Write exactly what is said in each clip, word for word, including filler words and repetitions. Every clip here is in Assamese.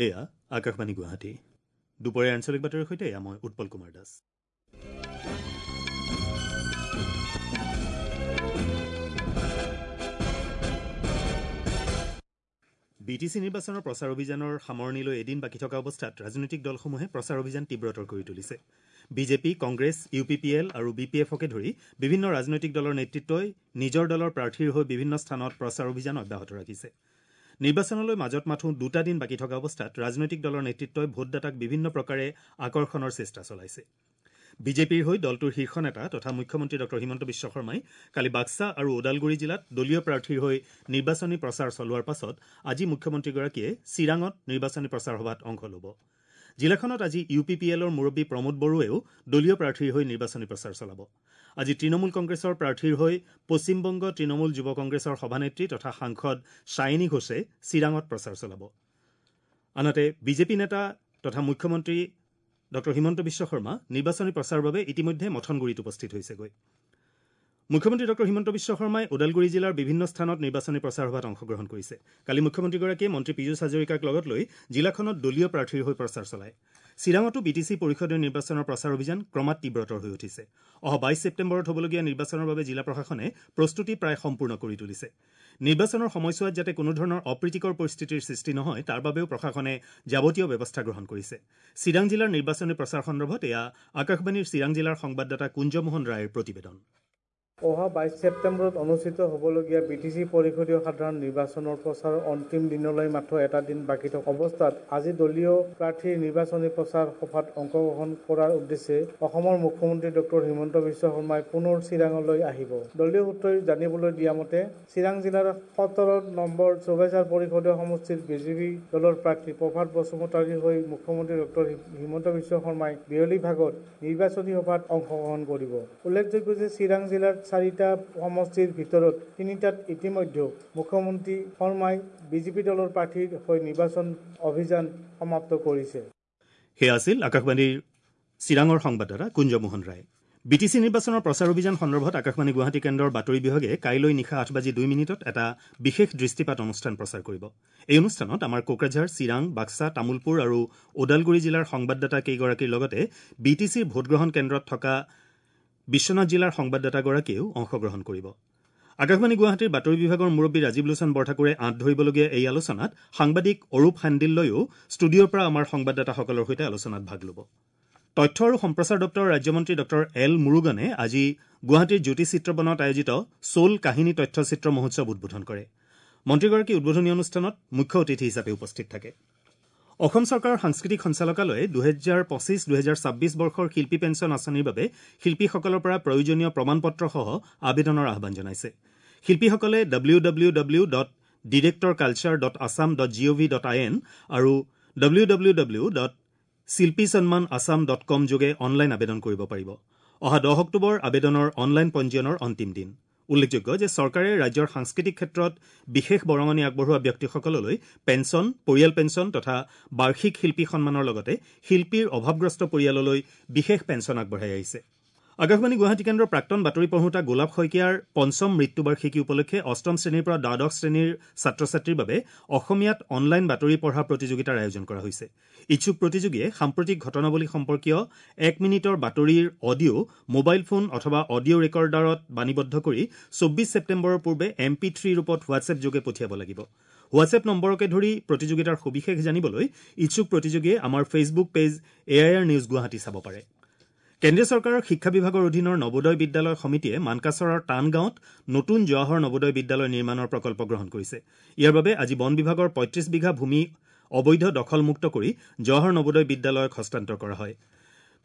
এয়া আকাশবাণী গুৱাহাটী। দুপৰীয়া আঞ্চলিক বাতৰিৰ সৈতে এয়া মই Utpal Kumar Das. B T C নিৰ্বাচনৰ প্ৰচাৰ অভিযানৰ সামৰণিলৈ এদিন বাকী থকা অৱস্থাত ৰাজনৈতিক দলসমূহে প্ৰচাৰ অভিযান তীব্ৰতৰ কৰি তুলিছে। BJP, Congress, U P P L আৰু বি পি এফকে ধৰি বিভিন্ন ৰাজনৈতিক দলৰ নেতৃত্বই নিজৰ দলৰ প্ৰাৰ্থীৰ হৈ বিভিন্ন স্থানত প্ৰচাৰ অভিযান অব্যাহত ৰাখিছে। নিৰ্বাচনলৈ মাজত মাথোঁ দুটা দিন বাকী থকা অৱস্থাত ৰাজনৈতিক দলৰ নেতৃত্বই ভোটদাতাক বিভিন্ন প্ৰকাৰে আকৰ্ষণৰ চেষ্টা চলাইছে। বিজেপিৰ হৈ দলটোৰ শীৰ্ষ নেতা তথা মুখ্যমন্ত্ৰী ডঃ হিমন্ত বিশ্ব শৰ্মাই কালি বাক্সা আৰু ওদালগুৰি জিলাত দলীয় প্ৰাৰ্থীৰ হৈ নিৰ্বাচনী প্ৰচাৰ চলোৱাৰ পাছত আজি মুখ্যমন্ত্ৰীগৰাকীয়ে চিৰাঙত নিৰ্বাচনী প্ৰচাৰ সভাত অংশ ল'ব। জিলাখনত আজি ইউ পি পি এলৰ মুৰব্বী প্ৰমোদ বড়োৱেও দলীয় প্ৰাৰ্থীৰ হৈ নিৰ্বাচনী প্ৰচাৰ চলাব। আজি তৃণমূল কংগ্ৰেছৰ প্ৰাৰ্থীৰ হৈ পশ্চিমবংগ তৃণমূল যুৱ কংগ্ৰেছৰ সভানেত্ৰী তথা সাংসদ সায়নী ঘোষে চিৰাঙত প্ৰচাৰ চলাব। আনহাতে বিজেপি নেতা তথা মুখ্যমন্ত্ৰী ডঃ হিমন্ত বিশ্ব শৰ্মা নিৰ্বাচনী প্ৰচাৰৰ বাবে ইতিমধ্যে মথনগুৰিত উপস্থিত হৈছেগৈ। মুখ্যমন্ত্ৰী ডঃ হিমন্ত বিশ্ব শৰ্মাই ওদালগুৰি জিলাৰ বিভিন্ন স্থানত নিৰ্বাচনী প্ৰচাৰ সভাত অংশগ্ৰহণ কৰিছে। কালি মুখ্যমন্ত্ৰীগৰাকীয়ে মন্ত্ৰী পীযুষ হাজৰিকাক লগত লৈ জিলাখনত দলীয় প্ৰাৰ্থীৰ হৈ প্ৰচাৰ চলায়। চিৰাঙতো বি টি চি পৰিষদীয় নিৰ্বাচনৰ প্ৰচাৰ অভিযান ক্ৰমাৎ তীব্ৰতৰ হৈ উঠিছে। অহা বাইছ ছেপ্টেম্বৰত হ'বলগীয়া নিৰ্বাচনৰ বাবে জিলা প্ৰশাসনে প্ৰস্তুতি প্ৰায় সম্পূৰ্ণ কৰি তুলিছে। নিৰ্বাচনৰ সময়ছোৱাত যাতে কোনো ধৰণৰ অপ্ৰীতিকৰ পৰিস্থিতিৰ সৃষ্টি নহয় তাৰ বাবেও প্ৰশাসনে যাৱতীয় ব্যৱস্থা গ্ৰহণ কৰিছে। চিৰাং জিলাৰ নিৰ্বাচনী প্ৰচাৰ সন্দৰ্ভত এয়া আকাশবাণীৰ চিৰাং জিলাৰ সংবাদদাতা কুঞ্জমোহন ৰায়ৰ প্ৰতিবেদন। অহা বাইছ ছেপ্টেম্বৰত অনুষ্ঠিত হ'বলগীয়া বি টি চি পৰিষদীয় সাধাৰণ নিৰ্বাচনৰ প্ৰচাৰৰ অন্তিম দিনলৈ মাথো এটা দিন বাকী থকা অৱস্থাত আজি দলীয় প্ৰাৰ্থীৰ নিৰ্বাচনী প্ৰচাৰ সভাত অংশগ্ৰহণ কৰাৰ উদ্দেশ্যে অসমৰ মুখ্যমন্ত্ৰী ডঃ হিমন্ত বিশ্ব শৰ্মাই পুনৰ চিৰাঙলৈ আহিব। দলীয় সূত্ৰই জানিবলৈ দিয়া মতে চিৰাং জিলাৰ সোতৰ নম্বৰ চৌবেচাৰ পৰিষদীয় সমষ্টিৰ বিজেপি দলৰ প্ৰাৰ্থী প্ৰভাত বসুমতাৰীৰ হৈ মুখ্যমন্ত্ৰী ডঃ হিমন্ত বিশ্ব শৰ্মাই বিয়লি ভাগত নিৰ্বাচনী সভাত অংশগ্ৰহণ কৰিব। উল্লেখযোগ্য যে চিৰাং জিলাৰ চাৰিটা সমষ্টিৰ ভিতৰত তিনিটাত ইতিমধ্যে মুখ্যমন্ত্ৰী শৰ্মাই বিজেপি দলৰ প্ৰাৰ্থীৰ হৈ নিৰ্বাচন অভিযান সমাপ্ত কৰিছে। সেয়া আছিল আকাশবাণীৰ চিৰাঙৰ সংবাদদাতা কুঞ্জমোহন ৰায়। বি টি চি নিৰ্বাচনৰ প্ৰচাৰ অভিযান সন্দৰ্ভত আকাশবাণী গুৱাহাটী কেন্দ্ৰৰ বাতৰি বিভাগে কাইলৈ নিশা আঠ বাজি দুই মিনিটত এটা বিশেষ দৃষ্টিপাত অনুষ্ঠান প্ৰচাৰ কৰিব। এই অনুষ্ঠানত আমাৰ কোকৰাঝাৰ, চিৰাং, বাক্সা, তামুলপুৰ আৰু ওদালগুৰি জিলাৰ সংবাদদাতা কেইগৰাকীৰ লগতে বি টি চিৰ ভোটগ্ৰহণ কেন্দ্ৰত থকা বিশ্বনাথ জিলাৰ সংবাদদাতাগৰাকীয়েও অংশগ্ৰহণ কৰিব। আকাশবাণী গুৱাহাটীৰ বাতৰি বিভাগৰ মুৰব্বী ৰাজীৱ লোচন বৰঠাকুৰে আঁত ধৰিবলগীয়া এই আলোচনাত সাংবাদিক অৰূপ সান্দিল্যয়ো ষ্টুডিঅ'ৰ পৰা আমাৰ সংবাদদাতাসকলৰ সৈতে আলোচনাত ভাগ ল'ব। তথ্য আৰু সম্প্ৰচাৰ দপ্তৰৰ ৰাজ্যমন্ত্ৰী ডঃ এল মুৰুগনে আজি গুৱাহাটীৰ জ্যোতি চিত্ৰবনত আয়োজিত চ'ল কাহিনী তথ্যচিত্ৰ মহোৎসৱ উদ্বোধন কৰে। মন্ত্ৰীগৰাকী উদ্বোধনী অনুষ্ঠানত মুখ্য অতিথি হিচাপে উপস্থিত থাকে। অসম চৰকাৰৰ সাংস্কৃতিক সঞ্চালকালয়ে দুহেজাৰ পঁচিছ দুহেজাৰ ছাব্বিছ বৰ্ষৰ শিল্পী পেঞ্চন আঁচনিৰ বাবে শিল্পীসকলৰ পৰা প্ৰয়োজনীয় প্ৰমাণপত্ৰসহ আবেদনৰ আহ্বান জনাইছে। শিল্পীসকলে W W W dot director culture dot Assam dot G O V dot I N আৰু W W W dot Shilpi Sanman Assam dot com যোগে অনলাইন আবেদন কৰিব পাৰিব। অহা দহ অক্টোবৰ আবেদনৰ অনলাইন পঞ্জীয়নৰ অন্তিম দিন। উল্লেখযোগ্য যে চৰকাৰে ৰাজ্যৰ সাংস্কৃতিক ক্ষেত্ৰত বিশেষ বৰঙণি আগবঢ়োৱা ব্যক্তিসকললৈ পেঞ্চন, পৰিয়াল পেঞ্চন তথা বাৰ্ষিক শিল্পী সন্মানৰ লগতে শিল্পীৰ অভাৱগ্ৰস্ত পৰিয়াললৈ বিশেষ পেঞ্চন আগবঢ়াই আহিছে। আকাশবাণী গুৱাহাটী কেন্দ্ৰৰ প্ৰাক্তন বাতৰি পঢ়োঁতা গোলাপ শইকীয়াৰ পঞ্চম মৃত্যুবাৰ্ষিকী উপলক্ষে অষ্টম শ্ৰেণীৰ পৰা দ্বাদশ শ্ৰেণীৰ ছাত্ৰ ছাত্ৰীৰ বাবে অসমীয়াত অনলাইন বাতৰি পঢ়া প্ৰতিযোগিতাৰ আয়োজন কৰা হৈছে। ইচ্ছুক প্ৰতিযোগীয়ে সাম্প্ৰতিক ঘটনাৱলী সম্পৰ্কীয় এক মিনিটৰ বাতৰিৰ অডিঅ' মোবাইল ফোন অথবা অডিঅ' ৰেকৰ্ডাৰত বাণীবদ্ধ কৰি চৌব্বিছ ছেপ্টেম্বৰৰ পূৰ্বে এম পি থ্ৰী ৰূপত হোৱাটছএপ যোগে পঠিয়াব লাগিব। হোৱাটছএপ নম্বৰকে ধৰি প্ৰতিযোগিতাৰ সবিশেষ জানিবলৈ ইচ্ছুক প্ৰতিযোগীয়ে আমাৰ Facebook page A I R news Guwahati চাব পাৰে। কেন্দ্ৰীয় চৰকাৰৰ শিক্ষা বিভাগৰ অধীনৰ নৱোদয় বিদ্যালয় সমিতিয়ে মানকাচৰৰ টানগাঁৱত নতুন জৱাহৰ নৱোদয় বিদ্যালয় নিৰ্মাণৰ প্ৰকল্প গ্ৰহণ কৰিছে। ইয়াৰ বাবে আজি বন বিভাগৰ পঁয়ত্ৰিছ বিঘা ভূমি অবৈধ দখলমুক্ত কৰি জৱাহৰ নৱোদয় বিদ্যালয়ক হস্তান্তৰ কৰা হয়।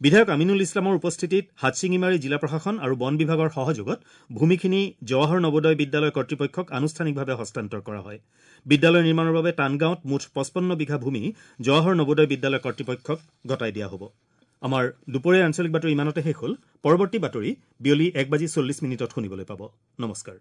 বিধায়ক আমিনুল ইছলামৰ উপস্থিতিত হাটশিঙিমাৰী জিলা প্ৰশাসন আৰু বন বিভাগৰ সহযোগত ভূমিখিনি জৱাহৰ নৱোদয় বিদ্যালয় কৰ্তৃপক্ষক আনুষ্ঠানিকভাৱে হস্তান্তৰ কৰা হয়। বিদ্যালয় নিৰ্মাণৰ বাবে টানগাঁৱত মুঠ পঁচপন্ন বিঘা ভূমি জৱাহৰ নৱোদয় বিদ্যালয় কৰ্তৃপক্ষক গতাই দিয়া হ'ব। আমাৰ দুপৰীয়াৰ আঞ্চলিক বাতৰি ইমানতে শেষ হ'ল। পৰৱৰ্তী বাতৰি বিয়লি এক বাজি চল্লিছ মিনিটত শুনিবলৈ পাব। নমস্কাৰ।